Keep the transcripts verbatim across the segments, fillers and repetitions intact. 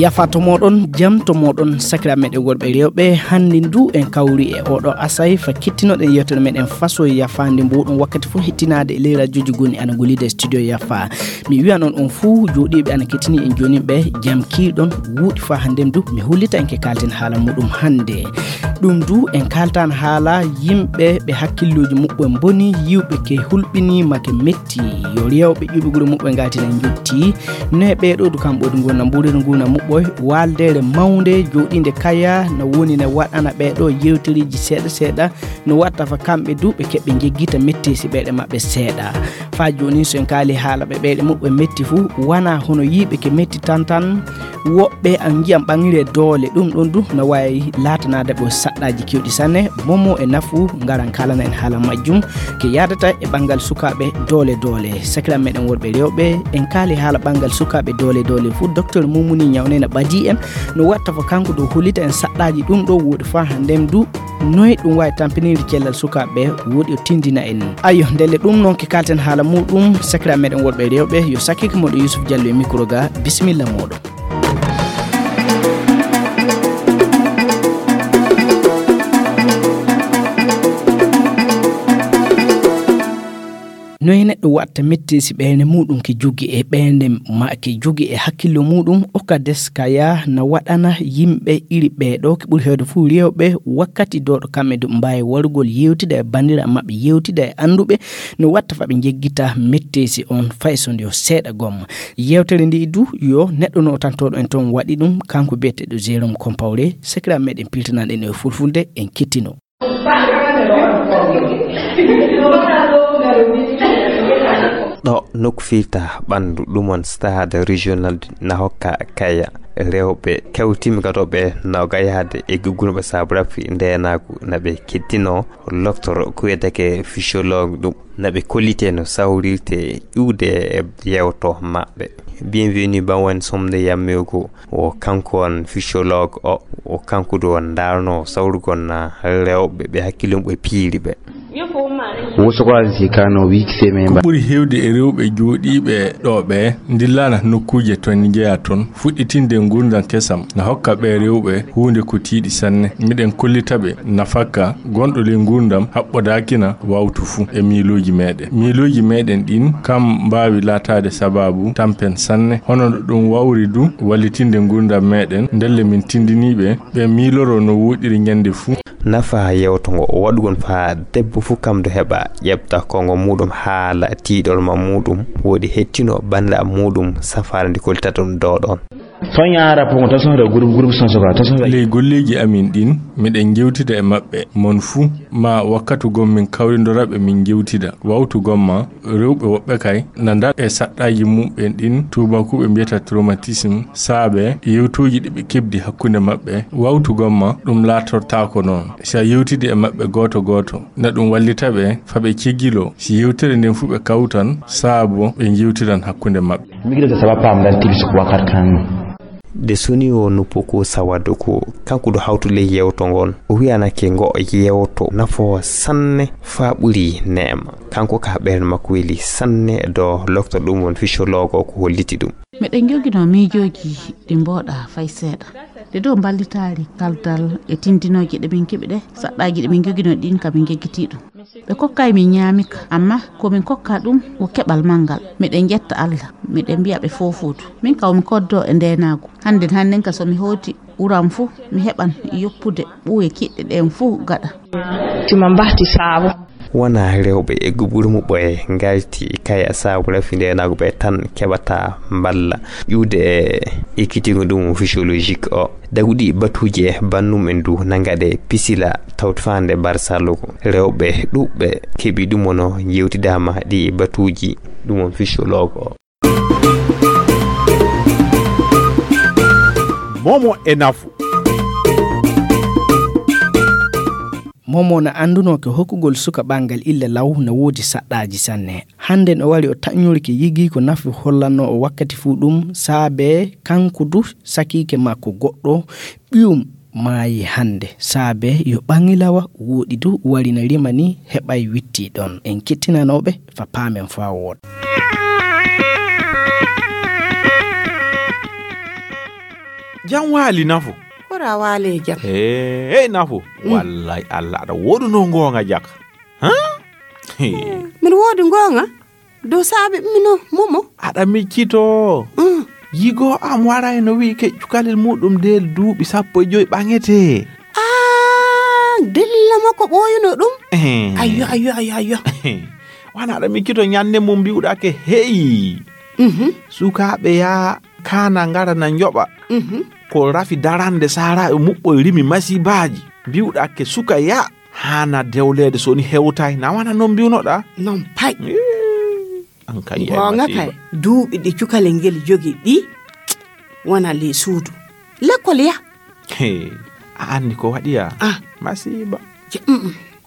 Yafa to moɗon, jam to moɗon, sakira meɗen worɓe rewɓe. Hannde ndu en kawri e oɗo asay fa kittinoɗen yewtere meɗen faso yafaande mbuɗum wakkati fof hettinaade e ley rajoji gonɗi ana golliida e studio yafa. Mi wiyan on, on fuu jooɗiiɓe ana kettini en jooni ɓe, jam kiiɗon, wuuɗi fa hannde ndu mi hollita en ke kalten haala muɗum hannde. Ɗum du en kaltan haala yimɓe ɓe hakkillooji muɓɓen mboni, yiwɓe ke hulɓiniima ke metti, yo rewɓe ƴuɓi gure muɓɓen ngaltina njotti. No e ɓeeɗo du kamɓe du ngona mbuuriri nguna muɓɓoy, waaldeere mawnde jooɗiinde kaya no woni ne waɗana ɓeeɗo yewtereeji seeɗa seeɗa, no watta fa kamɓe du ɓe keɓɓe njeggita metteesi ɓeeɗe maɓɓe seeɗa. Faa jooni so en kaali haala ɓe ɓeeɗe muɓɓe metti fu, wana hono yiiɓe ke metti tan tan, woɓɓe an njiyan ɓangire doole, ɗum ɗon du no waawi laatanaade ɓo saɗɗaaji kewɗi sanne. Momo e nafu ngaran kaalana en haala majjum, ke yaadata e ɓanngal sukaaɓe doole doole. Sakiraaɓe meɗen worɓe rewɓe, en kaali haala ɓanngal sukaaɓe doole doole fu, Docteur Mumuni Ñawnena ɓadii en, no watta fo kanko ɗo hollita en saɗɗaaji ɗum ɗo woodi faa hannde du, noy ɗum waawi tampinirde cellal sukaaɓe, woodi o tindina en. Ayo, ndelle ɗum noon ke kalten haala muɗum, sakiraaɓe meɗen worɓe rewɓe, yo sakkike moɗo Yusuf Diallo e micro ga, bisimilla moɗo. No e neɗɗo watta metteesi ɓeynde muɗum ke jogi e ɓeynde ma ke jogi e hakkillo muɗum, o ka des kaya na waɗana yimɓe iri ɓeeɗo ke ɓuri heewde fuu rewɓe wakkati dooɗo kamɓe du mbaawi warugol yewtida e banndiraaɓe maɓɓe, yewtida e annduɓe, no watta fa ɓe njeggita metteesi on fay so nde o seeɗa gomma. Yewtere ndi du yo neɗɗo no tantooɗo en toon waɗi ɗum, kanko biyeteeɗo Jérôme Compaoré, sakiraaɓe meɗen piltanaaɗen e fulfulde, en kettino. Ɗo nokku firta ɓanndu ɗum on stade régional na hokka kaya rewɓe kewtimi gadoɓe no gayaade e guggunoɓe saabu rafi ndenaagu na ɓe kettino loktoro ko wiyeteke physiologue ɗum. Na ɓe kollite no sawrirte iwde e yewto maɓɓe. Bienvenue Bawen Somde Yammego, o kanko on physiologue o, o kanko du on ndaarno sawrugol na rewɓe ɓe hakkille mum e piiri ɓe. Wosokolan si kano wiki seme. Ko ɓuri heewde e rewɓe jooɗiiɓe ɗo ɓe ndillana nokkuuje to njeya toon, fuɗɗitinde nguurndam kesam na hokka ɓe rewɓe huunde ko tiiɗi sanne. Miɗen kollita ɓe nafakka gonɗo ley nguurndam haɓɓodaakina wawtu fuu e miilooji meɗen. Miilooji meɗen ɗin kam mbaawi laataade sabaabu tampen sanne, hono no ɗum wawri du wallitinde nguurndam meɗen, ndelle min tindinii ɓe, ɓe miiloro no woɗɗiri ñande fuu. Nafa yewto ngo o waɗugol faa debbo fuu kam do heɓa ƴeɓta kongo muɗum haala tiiɗol ma muɗum, woodi hettino bannda muɗum safaara ndi kollitata ɗum do ɗon. Soña rapport ngo tan sohre groupe groupe son soka tan sohre. Ley golleeji amin ɗin, miɗen njewtida e maɓɓe, mon fuu, ma wakkatu gom min kawrindora ɓe min njewtida. Wawtu gomma, rewɓe woɓɓe kay, na ndaar e saɗɗaaji muɓɓen ɗin tuubakuuɓe mbiyata traumatisme, saabe yewtooji ɗi ɓe keɓdi hakkunde maɓɓe. Wawtu gomma, ɗum laatortaako noon. Si a yewtidi e maɓɓe gooto gooto, na ɗum wallita ɓe fa ɓe cegiloo. Si yewtere nden fuu ɓe kawtan, saabo ɓe njewtiran hakkunde maɓɓe. Migirata sabab pam dan tibis ko wakar kan. De soni o nuppo ko sawado ko kanko do hawtu ley yewto ngon. O wiyanake ngo yewto nafo sanne fa ɓuri neema. Kanko ka ɓernde makko weli sanne do lokto ɗum won physiologue o ko holliti ɗum. Miɗen joginoo miijooji ɗi mbooɗaa fay seeɗa. Ɗe ɗoo mballitaali kaldal e tindinooje ɗe min keɓi ɗe, saɗɗaaji ɗe min joginoo ɗin ka min jeggitii ɗum. Ɓe kokkaay min ñaami ka, amma ko min kokkaa ɗum ko keɓal manngal. Miɗen ƴetta Alla, miɗen mbiya ɓe foofuudu. Min kaw mi koddoo e ndeenaagu. Hannden hannden ka so mi hooti ɓuran fuu, mi heɓan yoppude ɓuuye kiɗɗe ɗeen fuu gaɗa. Tima mbahti saabo. Wona rewɓe e guburu muɓɓoye ngalti kaya saabu rafi ndeenaagu ɓe tan keɓata mballa ƴuwde e ekkitingo ɗum physiologique o. Daguɗi batuuji e bannum en du na ngaɗe pisila tawti faande barsallugo. Rewɓe ɗuɓɓe keɓi ɗum ono yewtidaama ɗi batuuji ɗum on physiologue o. Momo e nafu. Momo na anndunoo ko hokkugol suka ɓanngal illa law na woodi saɗɗaaji sanne. Hannden o wari o taƴnori ke yigii ko nafi hollannoo o wakkati fuu ɗum, saabe kanko du sakiike makko goɗɗo ɓiyum maayi hannde. Saabe yo ɓaŋilawa woɗi du wari na rima ni heɓay witti ɗon. En kettinanooɓe fa paamen faa wooɗa. Jam waali Nafo. Hora waale jam. Hey, hey Nafo. Wallahi Allah aɗa woodunoo ngoonga jaka. Ha? Hey. Miɗo woodi ngoonga. Dow saabe mino momo. Aɗa miccito. Yigo am waray no wi'i ke cukalel muɗum del duuɓi sappo e joy ɓaŋete. Ah, dilla makko ɓooyuno ɗum. Ayyo, ayyo, ayyo, ayyo. Wana aɗa miccito ñande mum mbi'uɗa ke heyi. Sukaaɓe yaa kaana ngara na njoɓa. Ko rafi darande saaraaɓe muɓɓoy rimi masibaaji. Mbi'uɗa ke suka yaa haana dewleede so ni hewtay na wana non mbi'unoɗa. Non pay. An kay. Goonga kay. Duuɓi ɗi cukalel ngel jogi ɗi wona le suudu lekkol ya. He, a anndi ko waɗi ya? Ah. Masiiba.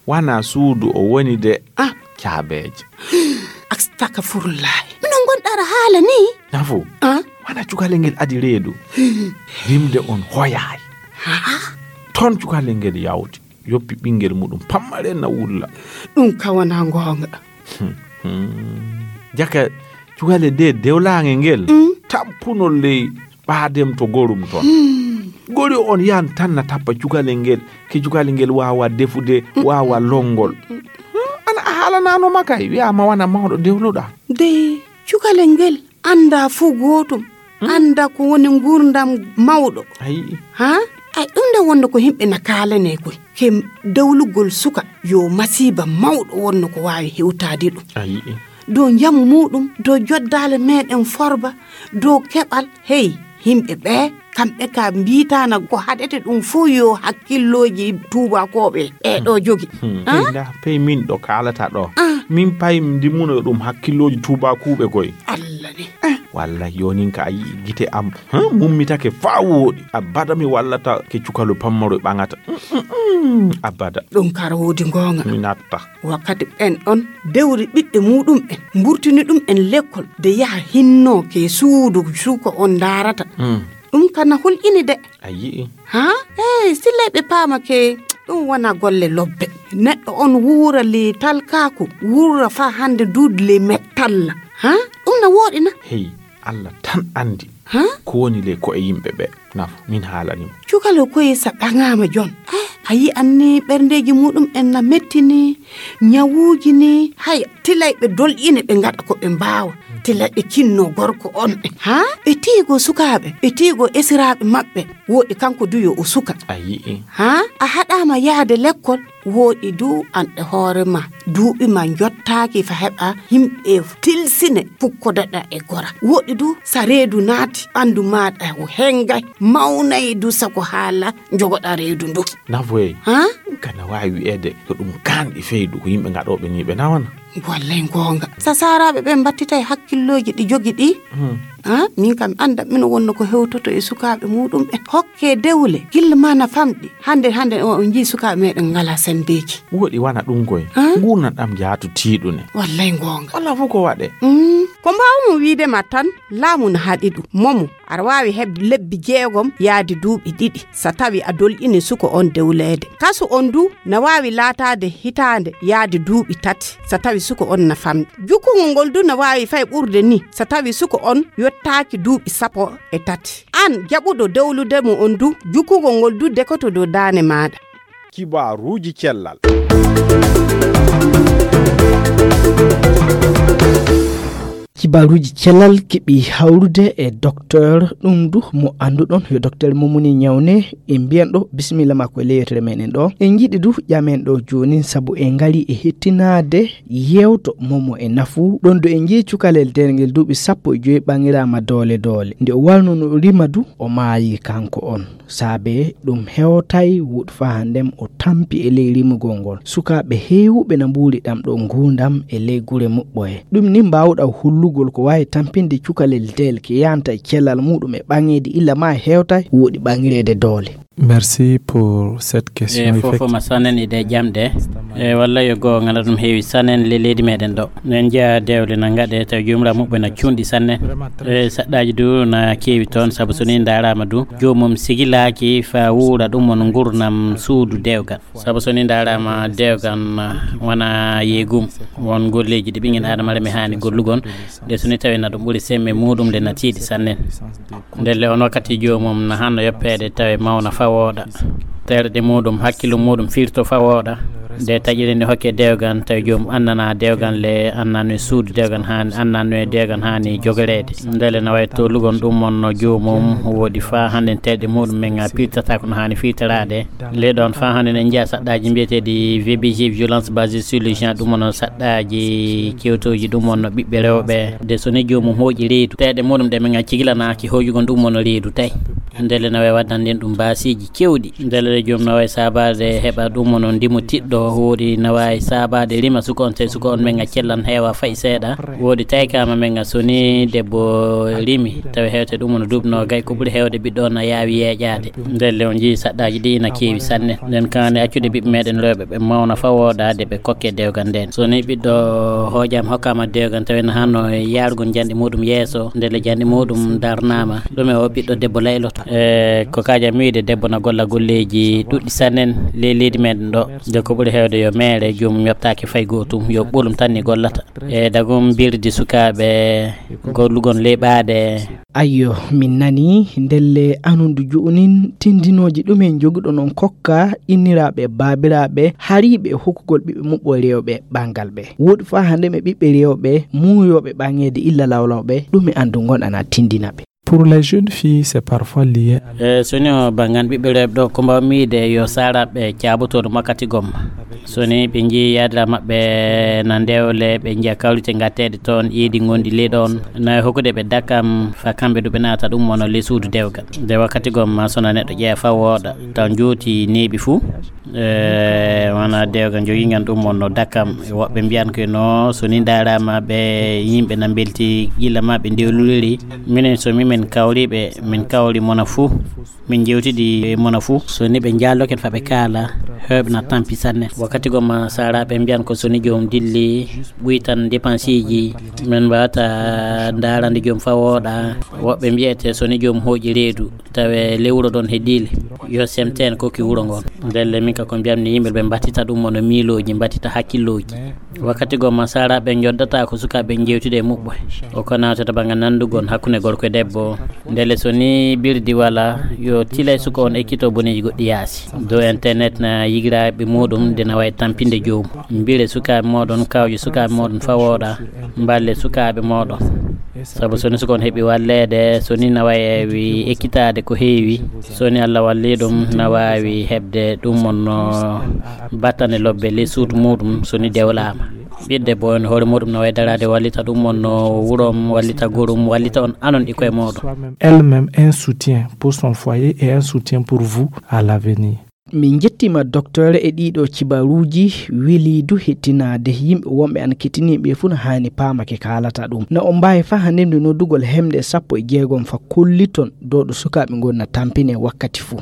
Wana suudu o woni de. Ah. Caabeeje. Astakafurullahi. Mino ngonɗa aɗa haala ni? Nafo. Ah. Wana cukalel ngel adi reedu. Rimde on hoyaay. Ton cukalel ngel yawti. Yoppi ɓinngel muɗum pammare na wulla. Ɗum ka wona ngoonga. Jaka cukale de dewlaange ngel. Tappuno ley ɓaadem to gorum ton. Gori on yan tan na tappa cukale ngel. Ke cukale ngel waawa defude, waawa lonngol. Ana a haalanano makay wi'ama wana mawɗo dewluɗa. De cukale ngel annda fuu gootum. Annda ko woni nguurndam mawɗo. Ayi. Ha? Ay ɗum nde wonno ko yimɓe na kaalane koy ke dawlugol suka yo masiiba mawɗo wonno ko waawi hewtaade ɗum. Ayi. Dow njamu muɗum, dow joddaale meɗen forba, dow keɓal. Hey, yimɓe ɓe kamɓe ka mbiitana ko haɗete ɗum fof yo hakkillooji tuubakooɓe ɓe ɗo jogi. Pey min ɗo kaalata ɗo. Min pay ndimmuno ɗum hakkillooji tuubakuuɓe koy. Allah ne. Walla yonin ka a yi'i gite am mummitake faa wooɗi. Abada mi wallata ke cukalu pammaro ɓaŋata. Abada. Ɗum kara woodi ngoonga. Mi natta. Wakkati ɓen on dewri ɓiɓɓe muɗum en mburtini ɗum en lekkol de yaha hinno ke suudu suuko on ndaarata. Ɗum kana hulƴini de. A yi'i. Ha? Hey, sillay ɓe paama ke ɗum wona golle lobbe. Neɗɗo on wuura le talkaaku, wuura faa hannde duuɗi le mettalla. Ha? Ɗum na wooɗi na? Hey, Allah tan anndi. Ha? Ko woni le ko e yimɓe ɓe. Nafo, min haalani mo. Cukalo koye sa ɓaŋaama jon. Ah, a yi'an ni ɓerndeeji muɗum en na mettini, ñawuuji ni, hay tilay ɓe dolƴine ɓe ngaɗa ko ɓe mbaawa. Tilay ɓe kinno gorko on. Ha? Ɓe tiigo sukaaɓe, ɓe tiigo esiraaɓe maɓɓe. Wooɗi kanko du yo o suka. A yi'i. Ha? A haɗaama yaade lekkol. Wooɗi du an e hoore ma. Duuɓi ma njottaaki fa heɓa yimɓe tilsine pukkodaɗa e gora. Wooɗi du sa reedu naati ɓandu maaɗa o hengay mawnay du sako haala jogoɗa reedu ndu. Nafoye. Ha? Kana waawi wi'eede ko ɗum kaanɗi feydu ko yimɓe ngaɗooɓe ni ɓe nawana. Wallay ngoonga. Sa saaraaɓe ɓe mbattitay hakkillooji ɗi jogi ɗi. Hmm. Ha? Min kam annda mino wonno ko hewtoto e sukaaɓe muɗum ɓe. Hokke dewle gilla ma na famɗi. Hannde, hannde o, on njii sukaaɓe meɗen ngala senndeeji. Wooɗi wana ɗum koy. Ah? Nguurnan ɗam jaatu tiiɗune. Wallay ngoonga. Walla fof ko waɗe. Mm. Ko mbaawmi wiide ma tan, laamu na haɗi ɗum. Momo, aɗa waawi heɓde lebbi jeegom yaade duuɓi ɗiɗi, so tawi a dolƴini suko on dewleede. Kasu on du na waawi laataade hitaande yaade duuɓi tati, so tawi suko on na famɗi. Jukkungol ngol du na waawi fay ɓurde ni, so tawi suko on yottaaki duuɓi sappo e tati. An jaɓuɗo dowlude mo on du, jukkugol ngol du dekoto dow daane maaɗa. Kibaaruuji cellal. Kibaaruuji cellal keɓi hawrude e docteur ɗum du mo annduɗon yo docteur Momuni Ñawne. En mbiyan ɗo bisimilla makko e ley yewtere meɗen ɗo. En njiɗi du ƴamen ɗo jooni sabu en ngari e hettinaade yewto momo e nafu ɗon do en nji cukalel del ngel duuɓi sappo e joyi ɓaŋiraama doole doole nde o warno no rima du o maayi kanko on. Saabe ɗum hewtay wuɗ faa hanndem o tampi e ley rimugol ngol. Sukaaɓe heewuɓe na mbuuri ɗam ɗo nguurndam e ley gure muɓɓoye. Ɗum ni mbaawɗa hullugol ko waawi tampinde cukalel del ke yanta e cellal muɗum e ɓaŋeede illa ma hewtay wooɗi ɓaŋireede doole. Merci pour cette question. E fofo ma sanen ide jamɗe. E walla yo goo ngana ɗum heewi sanen le leydi meɗen ɗo. En jeya dewle na ngaɗe taw jomira muɓɓe na cuunɗi sanne. E saɗɗaji du na keewi toon sabu so ni ndarama du joomum sigilaaki fa wuura ɗum on ngurnam suudu dewgal. Sabu so ni ndarama dewgal wona yeegum won golleji ɗi ɓingel adama reme hani gollugon. Nde so ni tawi na ɗum ɓuri semme muɗum nde na tiiɗi sannen. Ndelle on wakkati joomum na hanno yoppeede tawi mawna fawooɗa. Terɗe muɗum, hakkillu muɗum firto fawooɗa. Nde taƴiri nde hokke dewgan tawi joomum annana dewgan le annano e suudu dewgan haani, annano e dewgan haani jogoreede. Ndelle na wayi tolugon ɗum on no joomum woodi faa hannde terɗe muɗum men a pirtata ko no haani firtoraade. Le ɗon faa hannde ne njiya saɗɗaaji mbiyeteeɗi V B G, violence basée sur le genre, ɗum on saɗɗaaji kewtooji, ɗum on no ɓiɓɓe rewɓe. Nde so ni joomum hooƴi reedu, terɗe muɗum ɗe men a cigilanaaki hooƴugol ɗum on reedu tawi. Ndelle na wayi waddande ɗum baasiiji kewɗi. Ndelle joomum na wayi saabaade heɓa ɗum on ndimo tiɗɗo, woodi na wayi saabaade rima suka on tawi suka on men a cellan heewa fay seeɗa. Woodi taykama men a so ni debbo rimi tawi hewte ɗum on duuɓi noogay, ko ɓuri hewde ɓiɗɗo on a yaawi yeeƴaade. Ndelle on njii saɗɗaaji ɗi ina keewi sanne. Nden kaani accude ɓiɓɓe meɗen rewɓe ɓe mawna fawooɗa de ɓe kokke dewgal nden. So ni ɓiɗɗo hooƴaama hokkaama dewgal tawi na hanno yaarugol janɗi muɗum yeeso, ndelle janɗi muɗum darnaama. Ɗum e o ɓiɗɗo debbo layloto. E ko kaaja mi wiide debbo na golla golleeji ɗuɗɗi sannen ley leydi meɗen ɗo. De ko ɓuri hewde yo meere joomum yoɓtaake fay gootum, yo ɓolum tan ni gollata. E dagum birdi sukaaɓe gollugol ley ɓaade. Ayyo, min nani ndelle anundu jo'onin tindinooji ɗumen njoguɗo non kokka inniraaɓe baabiraaɓe hariiɓe hokkugol ɓiɓɓe muɓɓo rewɓe ɓangal ɓe. Woɗi faa hande ɓe ɓiɓɓe rewɓe muuyooɓe ɓaŋeede illa lawlawɓe ɗum e andu ngon ana tindina ɓe. Pour les jeunes filles, c'est parfois lié. E so ni o bangan ɓiɓɓe rewɓe ɗo ko mbaw miide yo saaraɓe caabotooɗo makkati gomma. So ni ɓe njii yaadira maɓɓe na ndewle ɓe njiya kawrite ngatteeɗe toon iidi ngondi ley ɗoon na hokkude ɓe dakam fa kamɓe du ɓe naata ɗum wona ley suudu dewgal. Nde wakkati gomma so na neɗɗo ƴeewa fa wooɗa taw njooti neeɓi fuu. E wona dewgal njogingan ɗum wonno dakam. Woɓɓe mbiyan ko no so ni ndaarama ɓe yimɓe na mbelti gila ma ɓe ndewluliri. Minen so mi min kawriɓe min kawri mona fuu. Min jewtidi e mona fuu so ni ɓe njaalloken fa ɓe kaala. Hewɓe na tampi sanne wakkati gomma saaraɓe mbiyan ko so ni joom dilli ɓuytan dépenseji. Min mbawata ndaarande joom fa wooɗa. Woɓɓe mbiyete so ni joom hooƴi reedu tawe lewuro ɗon he diile yo semteen kokki wuro ngon. Ndelle min ka ko mbiyammi yimɓe ɓe mbattita ɗum wona miilooji mbattita hakkillooji. Wakkati gomma saaraɓe njoddata ko sukaaɓe jewtude e muɓɓo o ko nawtata banga nandugol hakkunde gorko e debbo. Ndelle so ni birdi wala yo tilay suka on ekkito boneji goɗɗi yaasi dow internet na yigiraaɓe muɗum nde na wayi tampinde joomu. Mbire sukaaɓe moɗon kawje sukaaɓe moɗon fa wooɗa. Mballe sukaaɓe moɗon. Sabu so ni suka on heɓi walleede so ni na wayewi ekkitaade ko heewi. So ni Allah walli ɗum na waawi heɓde ɗum wonno battane lobbe ley suudu muɗum so ni dewlaama. Ɓiɗɗo debbo on hoore muɗum na wawi daraade wallita ɗum wonno wurom wallita gorum wallita on anon ɗi koye moɗon. Elle-même un soutien pour son foyer et un soutien pour vous à l'avenir. Min njettiima docteur e ɗiɗo cibaruuji. Weliidu hettinaade yimɓe wonɓe ana kettini ɓe fuu no haani paama ke kaalata ɗum na on mbaawi faa hannde nde noddugol hemde sappo e jeegom fa kolliton dooɗo sukaaɓe ngon na tampine wakkati fuu.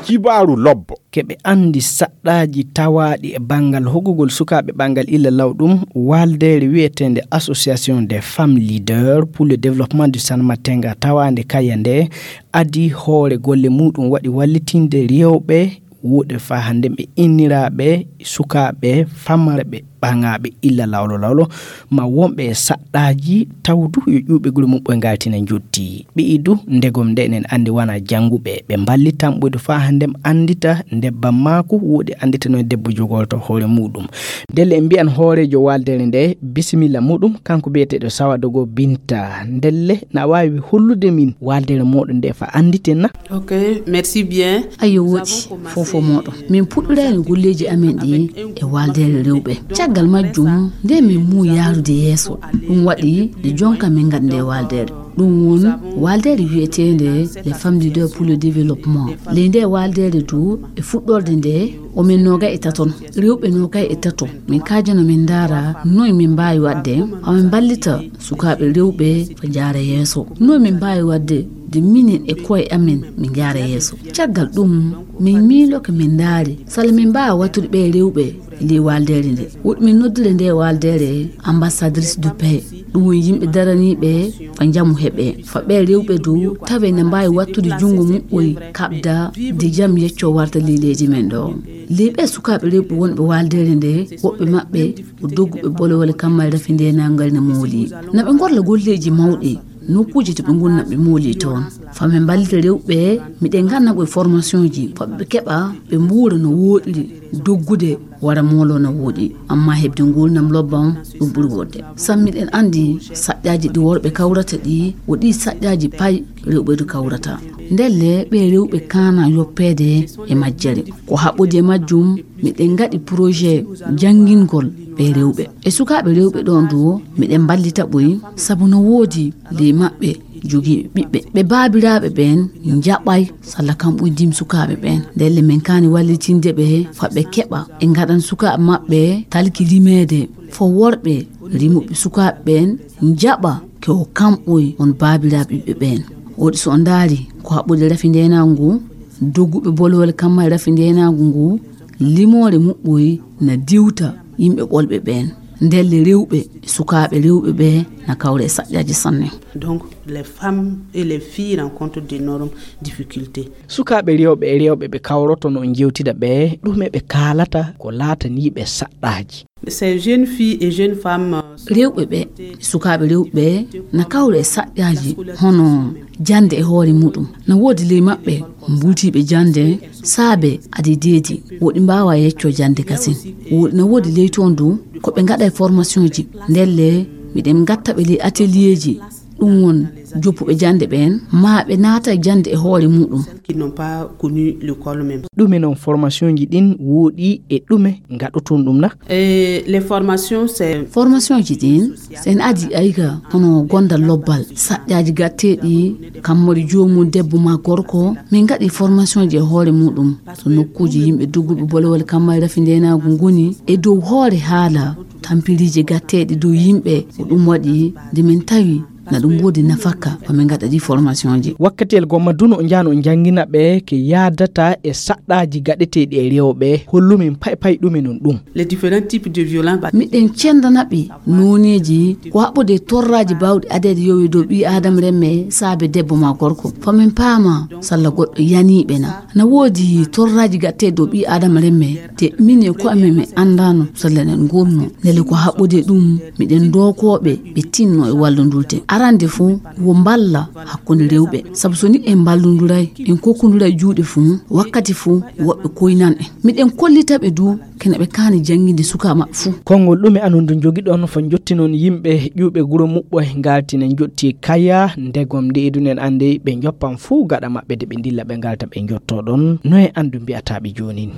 Kibaaru lobbo. Keɓe anndi saɗɗaaji tawaaɗi e banngal hoggugol sukaaɓe ɓanngal illa law ɗum. Waaldeere wiyeteende Association des Femmes Leaders pour le Développement du Sanmatenga tawaande kaya nde adi hoore golle muɗum waɗi wallitinde rewɓe wuuɗe faa hannde ɓe inniraaɓe sukaaɓe famarɓe ɓaŋaaɓe illa lawlo lawlo ma wonɓe e saɗɗaaji tawdu yo ƴuuɓe gure muɓɓoye ngaltina jotti ɓiyi du ndegom nde enen anndi wona jannguɓe ɓe mballitan ɓuydu faa hannde anndita ndebbam maaku wuuɗe annditano e debbo jogolto hoore muɗum. Ndelle en mbiyan hooreejo waaldere nde bisimilla muɗum kanko biyeteeɗo sawadogo binta ndelle na waawi hollude min waaldere muɗum nde fa annditen na. Ok, merci bien. Ayo woɗi fofo moɗo min puɗɗirani golleji amen ɗi e waldere rewɓe. Caggal majjum nde min mu yarude yeeso ɗum waɗi nde jonka min gad nde waldere. Ɗum won waldere wiyetende le femme leader pour le développement. Ley nde waldere du e fuɗɗorde nde omin noga e taton rewɓe noga e taton min kajano min dara noy min mbawi wadde hamin ballita sukaɓe rewɓe ko jara yeeso. Noy min mbawi wadde de minen e koye amen min jara yeeso. Caggal ɗum min miiloke min ndaari sala min mbaawa wattude ɓee rewɓe e ndee waaldere nde. Woɗɗi min noddire ndee waaldere ambassadrice de paix. Ɗum woni yimɓe daraniiɓe fa njamu heɓe, fa ɓe rewɓe dow tawe na mbaawi wattude junngo muɓɓoy kaɓda de jam yecco warta ley leydi men ɗo. Ley ɓe sukaaɓe rewɓe wonɓe waaldeere nde, woɓɓe maɓɓe ko dogguɓe bolowole kammal rafi ndenaagal na mooli. Na ɓe ngorla golleeji mawɗi, nokkuuji to ɓe ngoni na ɓe mooli toon. Fa min mballita rewɓe, miɗen nganna ɓoy formation ji, fa ɓe keɓa, ɓe mbuura no wooɗiri, doggude wara moolo no wooɗi. Amma heɓde nguurndam lobba on, ɗum ɓuri wodde. Sam miɗen anndi saƴƴaaji ɗi worɓe kawrata ɗi, wo ɗi saƴƴaaji pay rewɓe du kawrata. Ndelle ɓe rewɓe kaana yoppeede e majjere. Ko haɓɓodi e majjum, miɗen ngaɗi projet janngingol ɓe rewɓe. E sukaaɓe rewɓe ɗon du, miɗen mballita ɓoy, sabu no woodi ley maɓɓe jogiiɓe ɓiɓɓe. Ɓe baabiraaɓe ɓeen njaɓay salla kam ɓoy dim sukaaɓe ɓeen. Ndelle min kaani wallitinde ɓe fa ɓe keɓa. E ngaɗan sukaaɓe maɓɓe talki rimeede fo worɓe rimuɓe sukaaɓe ɓeen njaɓa ke o kamɓoy on baabiraaɓe ɓiɓɓe ɓeen. Woɗi so on ndaari ko haɓɓude rafi ndeenaagu ngu, dogguɓe bolowole kamma e rafi ndeenaagu ngu, limoore muɓɓoy na diwta yimɓe ɓolɓe ɓeen. Ndelle rewɓe e sukaaɓe rewɓe ɓe na kawra e saƴƴaaji sanne. Donc, les femmes et les filles rencontrent d'énormes difficultés. Sukaaɓe rewɓe e rewɓe ɓe kawroto no njewtida ɓe, ɗume ɓe kaalata ko laataniiɓe saɗɗaaji? Ces jeunes filles et jeunes femmes, euh, rewɓe ɓe, sukaaɓe rewɓe ɓe, na kawra e saƴƴaaji hono jannde e hoore muɗum. Na woodi ley maɓɓe mbultiiɓe jannde saabe adi deedi, woɗi mbaawa yecco jannde kasin. Woɗi na woodi ley toon du ko ɓe ngaɗa e formation ji. Ndelle miɗen ngatta ɓe ley atelier ji, ɗum won joppuɓe jannde ɓeen, maa ɓe naata e jannde e hoore muɗum. Qui n'ont pas connu l'école même. Ɗume noon formation ji ɗin woɗi e ɗume ngaɗoton ɗum na? Et les formations, c'est formation ji ɗin, so en adi ayga hono gondal lobbal, saƴƴaaji gatteeɗi, kammari joomum debbo maa gorko, min ngaɗi formation ji e hoore muɗum. To nokkuuji yimɓe dogguɓe bolowole kamma e rafi ndeenaagu ngoni e dow hoore haala tampiriiji gatteeɗi dow yimɓe, ko ɗum waɗi nde min tawi na ɗum woodi nafaka ko min ngaɗa ɗi formation ji. Wakkatiyel gomma du no njano njangina ɓe ke yaadata e saɗɗaaji gaɗeteeɗi e rewɓe, hollumin pay pay ɗume non ɗum. Les différents types de violence. Miɗen cendana ɓe nooneeji ko haɓɓude e torraaji baawɗi adeede yowi dow ɓii aadama remme saabe debbo maa gorko. Fa min paama salla goɗɗo yaniiɓe na. Na woodi torraaji gaɗteeɗi dow ɓii aadama remme, te min e ko amen min anndaano salla eɗen ngurnoo. Ndelle ko haɓɓude e ɗum, miɗen dookooɓe ɓe tinno e wallondirde. Arande fof, wo mballa hakkunde rewɓe. Sabu so ni en mballondiray, en kokkondiray juuɗe fof, wakkati fof woɓɓe koynan en. Miɗen kollita ɓe du kene ɓe kaani jannginde suka maɓɓe fuu. Konngol ɗume anon du njogiɗon fo njottinon yimɓe ƴuuɓe guro muɓɓo e ngaltina njotti kaya, ndegom nde idunen annde ɓe njoppan fuu gaɗa maɓɓe de ɓe ndilla ɓe ngalta ɓe njottoɗon? No e anndu mbi'ataa ɓe joonin?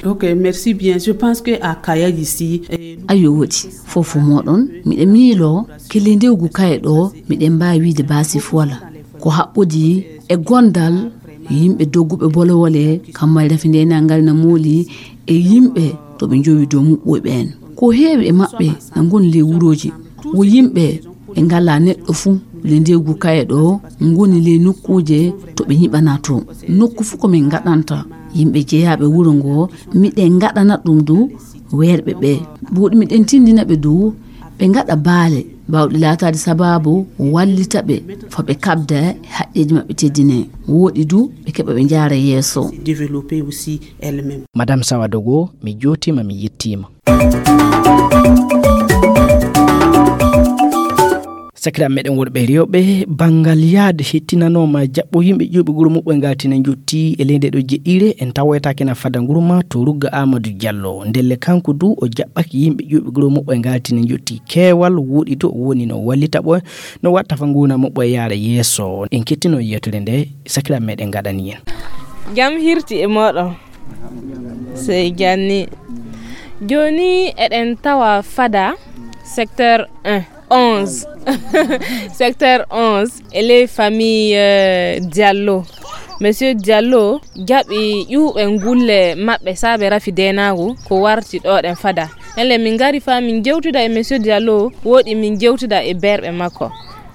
Ok, merci bien. Je pense que à Kaya ici, eh, ayo woodi, fof moɗon, miɗe miilo kelle ndewgu kaye ɗo, miɗen mbaawi wiide baasi fuwala. Ko haɓɓodi e gondal yimɓe dogguɓe bolowole, kamma e rafi ndenangal na mooli e yimɓe to ɓe njowi dow muɓɓoy ɓeen. Ko heewi e maɓɓe na ngoni ley wurooji. Wo yimɓe ɓe ngalaa neɗɗo fuu le ndewgu kaye ɗo ngoni ley nokkuuje to ɓe nyiɓanaa to. Nokku fuu ko min ngaɗanta yimɓe jeyaaɓe wuro ngo, miɗen ngaɗana ɗum du weerɓe ɓe. Buuɗi miɗen tindina ɓe du ɓe ngaɗa baale baawɗe laataade sabaabu wallita ɓe fa ɓe kaɓda e haqqeeji maɓɓe teddinee. Wooɗi du ɓe keɓa ɓe njaara yeeso. Développer aussi elle-même. Madame Sawadogo, mi jootiima, mi yettiima. Sakiraaɓe meɗen worɓe e rewɓe, banngal yaade hettinanooma jaɓɓo yimɓe ƴuuɓe guro muɓɓoy ngaltina njotti e ley nde ɗo jeɗɗiire, en tawoytaake na fada nguru ma to Rugga Amadou Diallo. Ndelle kanko du o jaɓɓake yimɓe ƴuuɓe guro muɓɓoy ngaltina njotti keewal, woɗi to o woni no wallita ɓoy, no watta fa nguuna muɓɓoy yaara yeeso. En kettino yeetude nde, sakiraaɓe meɗen ngaɗani en. Jam hirti e moɗon. Sey janni. Jooni eɗen tawa fada secteur un, onze. Secteur onze, e ley famille, euh, Diallo. Monsieur Diallo jaɓi ƴuuɓe ngulle maɓɓe saabe rafi denaagu ko warti ɗo ɗen fada. Ndelle min ngari fa min jewtida e Monsieur Diallo, woɗi min jewtida e berɓe makko.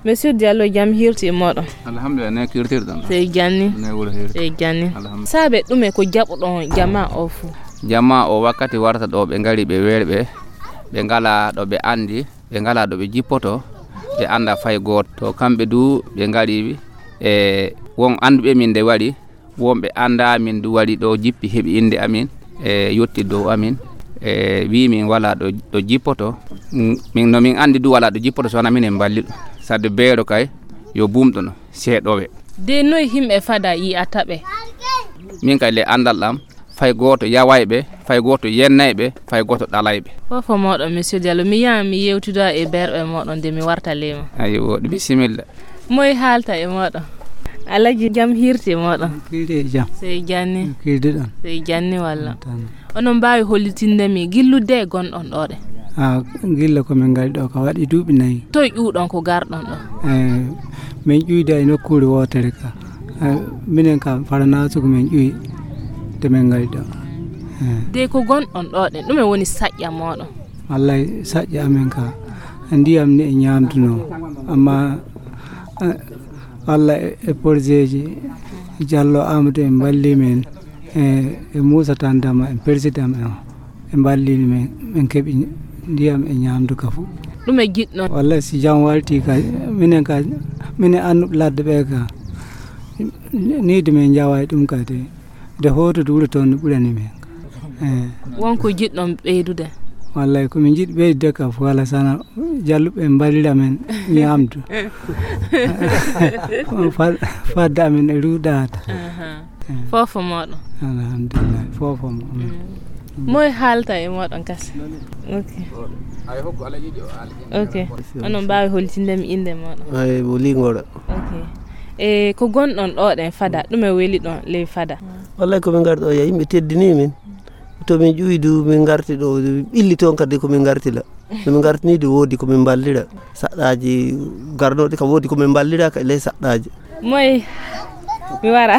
Monsieur Diallo, jam hirti e moɗon. Alhamdulillah, ne kirtirɗon. Sey janni. Ne wuro hirti. Sey janni. Alhamdulillah. Saabe ɗume ko jaɓuɗon jama o fuu? Jama o wakkati warta ɗo ɓe ngari ɓe weerɓe, ɓe ngala ɗo ɓe andi, ɓe ngala ɗo ɓe jippoto, ɓe annda fay gooto. To kamɓe du ɓe ngari e won annduɓe min nde waɗi, wonɓe annda min du waɗi ɗo jippi heɓi innde amin e yotti dow amin e wi min wala ɗo, ɗo jippoto. Mm, min, no min anndi du wala ɗo jippoto so wona minen mballi ɗum. Sadde beero kay yo bumɗo no seeɗowe. De noy himɓe fada yi'ata ɓe? Min kay le anndal am, fay gooto yaway ɓe, fay gooto yennay ɓe, fay gooto ɗalay ɓe. Fofo moɗon, Monsieur Diallo, mi yaha mi yewtidoya e berɓe moɗon de mi warta leyma. Ayi woɗi, bisimilla. Moy haalta e moɗon? Alaji, jam hirti e moɗon? Kirdi e jam. Sey janni. Kirdi ɗon. Sey janni walla? Tan. Onon mbaawi hollitinde mi gillude e gonɗon ɗo ɗe? Ah, gilla ko min ngari ɗo ka waɗi duuɓi nayi. Toy ƴuwɗon ko garɗon ɗo? Eh, min ƴuyda e nokkuure wootere ka. Eh, minen ka Faranaasu ko min ƴuwi de min ngari ɗo. Eh. De ko gonɗon ɗo ɗen, ɗume woni saƴƴa moɗon? Wallay saƴƴa amen ka. Ndiyam ni e ñaamduno. Amma, eh, Allah e, e porjeeji Jallo Amadou en mballi men. E, e Moussa Tandama en président en o. Ɓe mballini men, min keɓi ndiyam e ñaamdu ka fof. Ɗume jiɗɗon? Wallay si jam walti ka, minen ka, minen annuɓe ladde ɓe ka. Ni de min njawa e ɗum kadi. De hoto de wuro toon no ɓurani men. Eh. Won ko jiɗɗon ɓeydude? Wallay ko min jiɗi ɓeydude ka fof wala sana jalluɓe mballira men ñaamdu. Fa-, fadde amen e ruuɗaade. Aha. Eh. Fofo moɗon. Alhamdulillah. Fofo mo. Mm. Moy haalta e moɗon kasi? Ok. Ok. Onon mbaawi holtinde mi innde moɗon? Ay, mo Lingoora. Ok. E ko gonɗon ɗo ɗen fada, ɗume weli ɗon ley fada? Wallay ko min ngari ɗo ya, yimɓe teddini min. To min ƴuwi du, min ngarti ɗo, ɓilli toon kadi ko min ngarti la. No min ngartini du woodi ko min mballira. Saɗɗaaji garnoɗi kam woodi ko min mballira ka ley saɗɗaaji. Moy mi wara.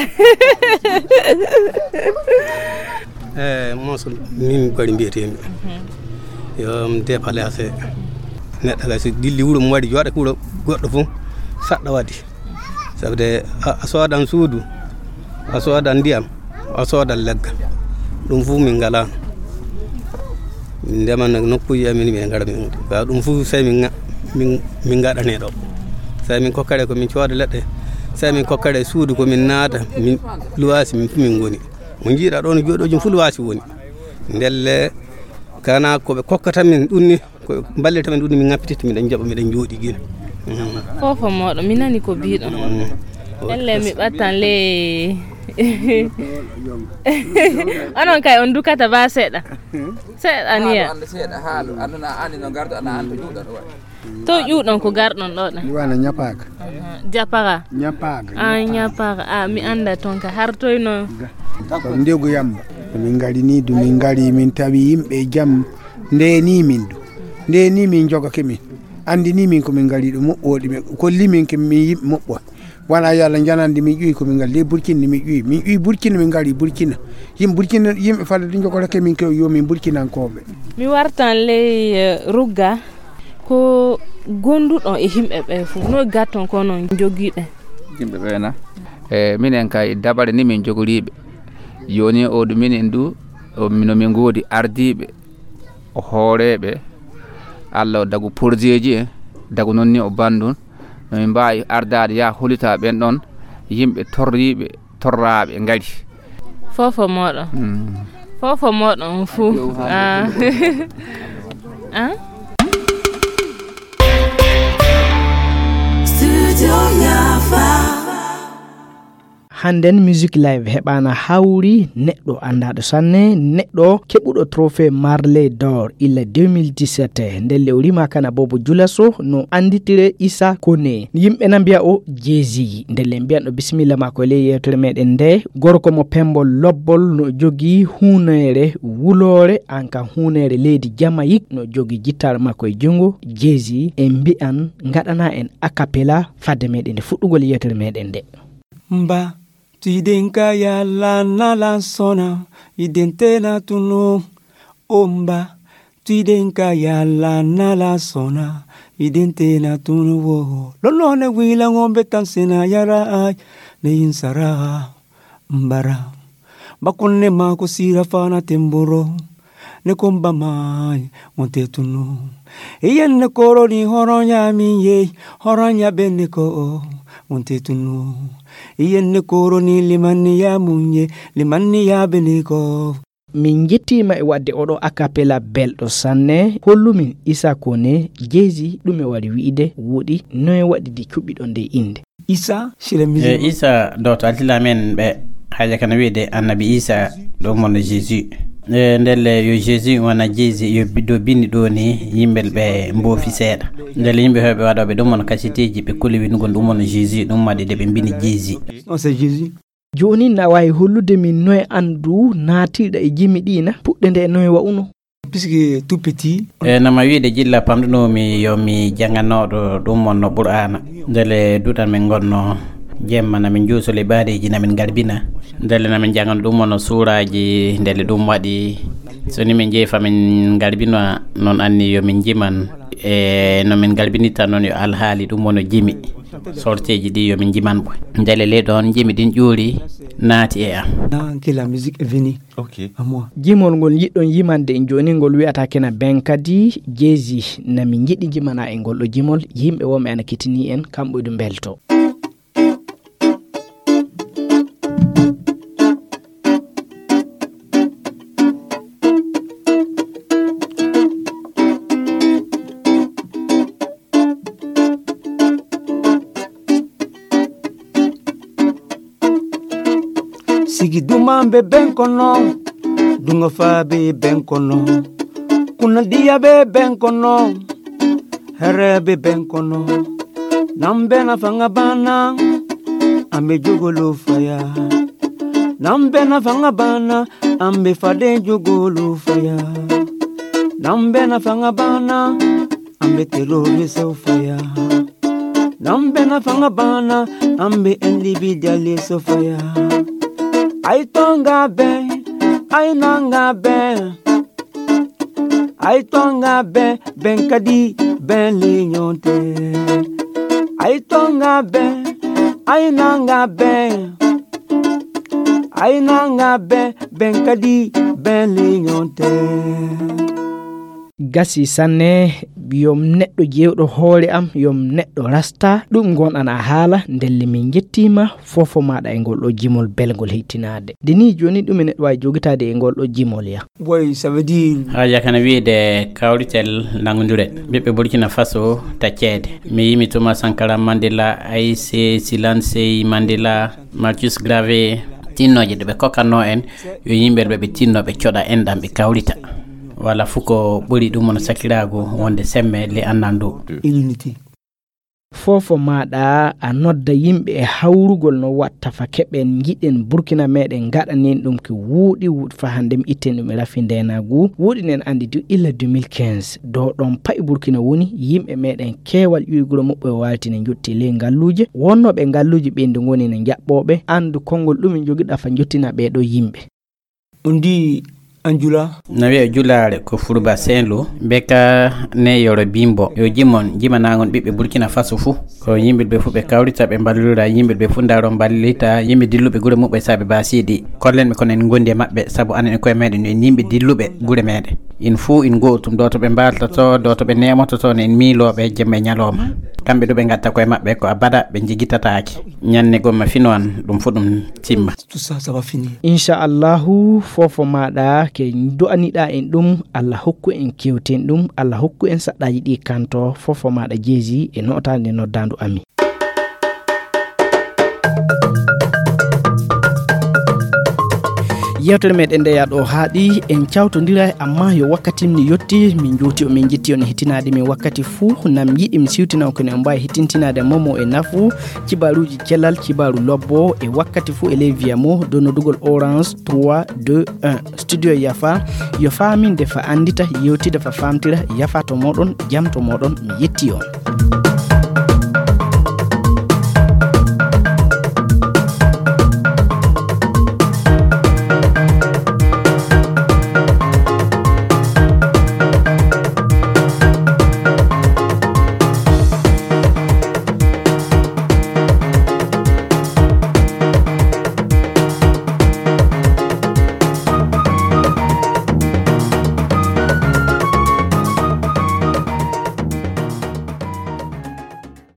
Eh, Moussa, min Bari mbiyetee-mi. Mhm. Yo mi déplacé. Neɗɗo kay so dilli wuro mum waɗi jooɗa ko wuro goɗɗo fof, saɗɗa waɗi. Sabu de a, a soodan suudu, a soodan ndiyam, a soodan leggal. Ɗum fof min ngalaa. Min ndema nokkuuji amin, min ngara min. Ba ɗum fof sey min nga-, min, min ngaɗanee ɗo. Sey min kokkare ko min cooda leɗɗe. Sey min kokkare suudu ko min naata, min luwaasi min fof min ngoni. Mo njiiɗa ɗo no jooɗooji fof luwaasi woni. Ndelle kana ko ɓe kokkata min ɗum ni, ko mballita min ɗum ni, min ngappititta, miɗen jaɓa, miɗen jooɗi gila. Mm. Fofo moɗon, mi nani ko biɗon. Mm. Elle mi ɓattan le. Onon kay on dukata ba seeɗa. Seeɗa niya. Haalu, anndu seeɗa, haalu. Anndu na anndi no garda, na anndi to juuɗa ɗo waɗi. To ƴuwɗon ko garɗon ɗo ɗen? Mi wana Ñapaga. Aha. Japara? Ñapaga, ah, Ñapaga. Ñapaga. Ah, mi annda toon ka hartoyno. Ko ndegu yamba. Min ngari ni du, min ngari, min tawi yimɓe jam. Ndeni min du. Ndeni min jogake min. Anndini min ko min ngari ɗo moɓɓoɗi. Ɓe kolli min ke min yimɓe moɓɓo. Wona yo Allah janande min ƴuwi ko min ngari. Ley Burkina min ƴuwi. Min ƴuwi Burkina, min ngari Burkina. Yimɓe Burkina, yimɓe fadde du jogorake min ko yo min Burkinankooɓe. Mi wartan ley, eh, rugga. Ko gonduɗon e yimɓe ɓe fof, no gatton ko non jogiiɓe? Yimɓe ɓe na? E minen kay dabare ni min jogoriiɓe. Jooni o ɗum minen du, o, no min ngoodi ardiiɓe, o hooreeɓe, Allah o dagu porjeeji en, dagu noon ni o banndun. No min mbaawi ardaade yaa holita ɓen ɗon yimɓe torriiɓe, torraaɓe ngari. Fofo moɗon. Mm. Fofo moɗon fuu. Ah. Ah? Studio Yafa. Hannden Music Live heɓaana hawri neɗɗo anndaaɗo sanne, neɗɗo keɓuɗo trophée Marley d'Or illa deux mille dix-sept. Ndelle o rimaaka na Bobo Julaso no annditire Issa Kone. Yimɓe na mbiya o Jay-Z. Ndelle mbiyan o bisimilla maako e ley yeewtere meɗen nde. Gorko mo pembol lobbol no jogii huuneere wuloore, an kan huuneere leydi Jamayik no jogii jittaare makko e junngo. Jay-Z e mbiyan ngaɗana en a cappella fadde meɗen nde fuɗɗugol yeewtere meɗen nde. Mba, tuiden ka yalla nala sona, iden tena tunu. O mba, tuiden ka yalla nala sona, iden tena tunu wo. Lolo ne wila ngombe tansena yara ay, ne insara. Mbara. Bakunne mako sira fana temboro. Ne komba mai, monte tunu. Iyen ne koroni horonya minye, horonya bene ko, monte tunu. Iyen ne koroni limani ya munye, limani ya bene ko. Min njettiima e waɗde oɗo a cappella belɗo sanne. Hollumin Isa Kone, Jay-Z, ɗume waɗi wi'ide wuuɗi, noye waɗi ndi cuɓiɗon nde innde? Isa, c'est la musique. E Isa, doto altila men ɓe, haja kana wi'de annabi Isa, ɗum wonno Jésus. E ndelle yo Jésus wona Jay-Z, yo bi-, do bindi ɗo ni, yimɓe ɓe mboofi seeɗa. Ndelle yimɓe heewɓe waɗooɓe ɗum wonno kasiteeji, ɓe kuli winugol ɗum wonno Jésus, ɗum waɗi de ɓe mbindi Jay-Z. Non, c'est Jésus. Jooni na waawi hollude min noye anndu naatiiɗa e jimi ɗi na? Puɗɗe nde noye wa'uno? Puisque tout petit. E nama wiide jilla pamɗunomi yo mi janganoɗo ɗum wonno Qur'aana. Ndele duɗal min ngonno jemma na min juusole ɓaadeeji na min ngalbina. Ndele na min jangano ɗum wonno suuraaji, ndele ɗum waɗi so ni min jeefa min ngalbina noon anni yo min jiman. E no min ngalbinita noon yo alhaali ɗum wonno jimi. Sorteeji ɗi yo min jiman ɓoy. Ndele ley ɗoon jimi ɗin ƴuuri naati e am. Dans que la musique est venue. Ok. À moi. Jimol ngol njiɗɗon yimande en jooni, ngol wi'ata kena ben kadi Jay-Z. Na min njiɗi jimana en ngol ɗo jimol, yimɓe wonɓe ana kitini en, kamɓe ɗum mbelto. Sigi duma be ben kono, dunga fa be ben kono, kuna dia be ben kono, here be ben kono. Nambe na fanga bana, ambe jogolo faya. Nambe na fanga bana, ambe fade jogolo faya. Nambe na fanga bana, ambe terrorist faya. Nambe na fanga bana, ambe individualist faya. Ai tonga be, ai nanga be. Ai tonga be, ben kadi, ben linyonte. Ai tonga be, ai nanga be. Ai nanga be, ben kadi, ben linyonte. Gasi sanne, yom neɗɗo jewɗo hoore am, yom neɗɗo rasta, ɗum ngon ana haala, ndelle min njettiima, fofo maɗa e ngol ɗo jimol belgol hittinaade. Nde ni jooni ɗum e neɗɗo waawi jogitaade e ngol ɗo jimol ya. Boy, ça veut dire. Haja kana wiide kawritel nangondure. Ɓiɓɓe Burkina Faso tacceede. Mi yimi Thomas Sankara Mandela, Aïssé Silansey Mandela, Marcus Garvey, tinnooje ɗe ɓe kokkanno en, yo yimɓe ɓe ɓe tinno ɓe coɗa enɗam ɓe kawrita. Wala fuu ko ɓuri ɗum wona sakiraagu wonde semme le annandu. Unité. Fofo maɗa a nodda yimɓe e hawrugol no watta fa keɓen njiɗen Burkina meɗen gaɗanen ɗum ki wuuɗi wuuɗi fa hande mi itten ɗum e rafi ndenagu. Wuuɗi nen andi du illa deux mille quinze. Do ɗon pa'i Burkina woni yimɓe meɗen keewal ƴuwi guro muɓɓe o wawti ne jotti ley ngalluje. Wonnoɓe ngalluje ɓe ndu ngoni ne jaɓɓoɓe andu konngol ɗum e jogiɗa fa jottina ɓe ɗo yimɓe. On dit en Jula. Na wiya julaare ko Furuba Saint-Lou, be ka ne yoro bimbo. Yo jimon, jimanagon ɓiɓɓe Burkina Faso fuu. Ko yimɓe ɓe fuu ɓe kawrita ɓe mballira, yimɓe ɓe fuu ndaro mballita, yimɓe dilluɓe gure muɓɓe saɓe basidi. Kollen ɓe kono en gondi e maɓɓe, sabu anen e koye meɗen en yimɓe dilluɓe gure meɗen. In fuu in gootum, do to ɓe mbaltoto, do to ɓe nemototo, ne en miiloɓe jemma e ñalawma. Kamɓe ɗo ɓe ngatta koye maɓɓe ko abada ɓe jigitataake. Ñanne gomma fino an, ɗum fuu ɗum timma. Tout ça, ça va finir. Inchallahu, fofo maɗa ke du'aniɗa en ɗum, Allah hokku en kewten ɗum, Allah hokku en saɗɗaji ɗi kanto, fofo maɗa jeesi e notande noddandu ami. Yewtere meɗen nde yaɗo haaɗi en cawtodira, amma yo wakkati ni yotti, min jowti o min jetti on e hettinade min wakkati fuu. Nam yiɗi mi siwtina on kono en mbawi hettintinade momo e nafu. Cibaruji celal, cibaru lobbo e wakkati fuu e ley via mo do nodugol Orange trois deux un. Studio Yafa, yo faminde fa andita, yewtida fa famtira. Yafa to moɗon, jam to moɗon, mi yetti on.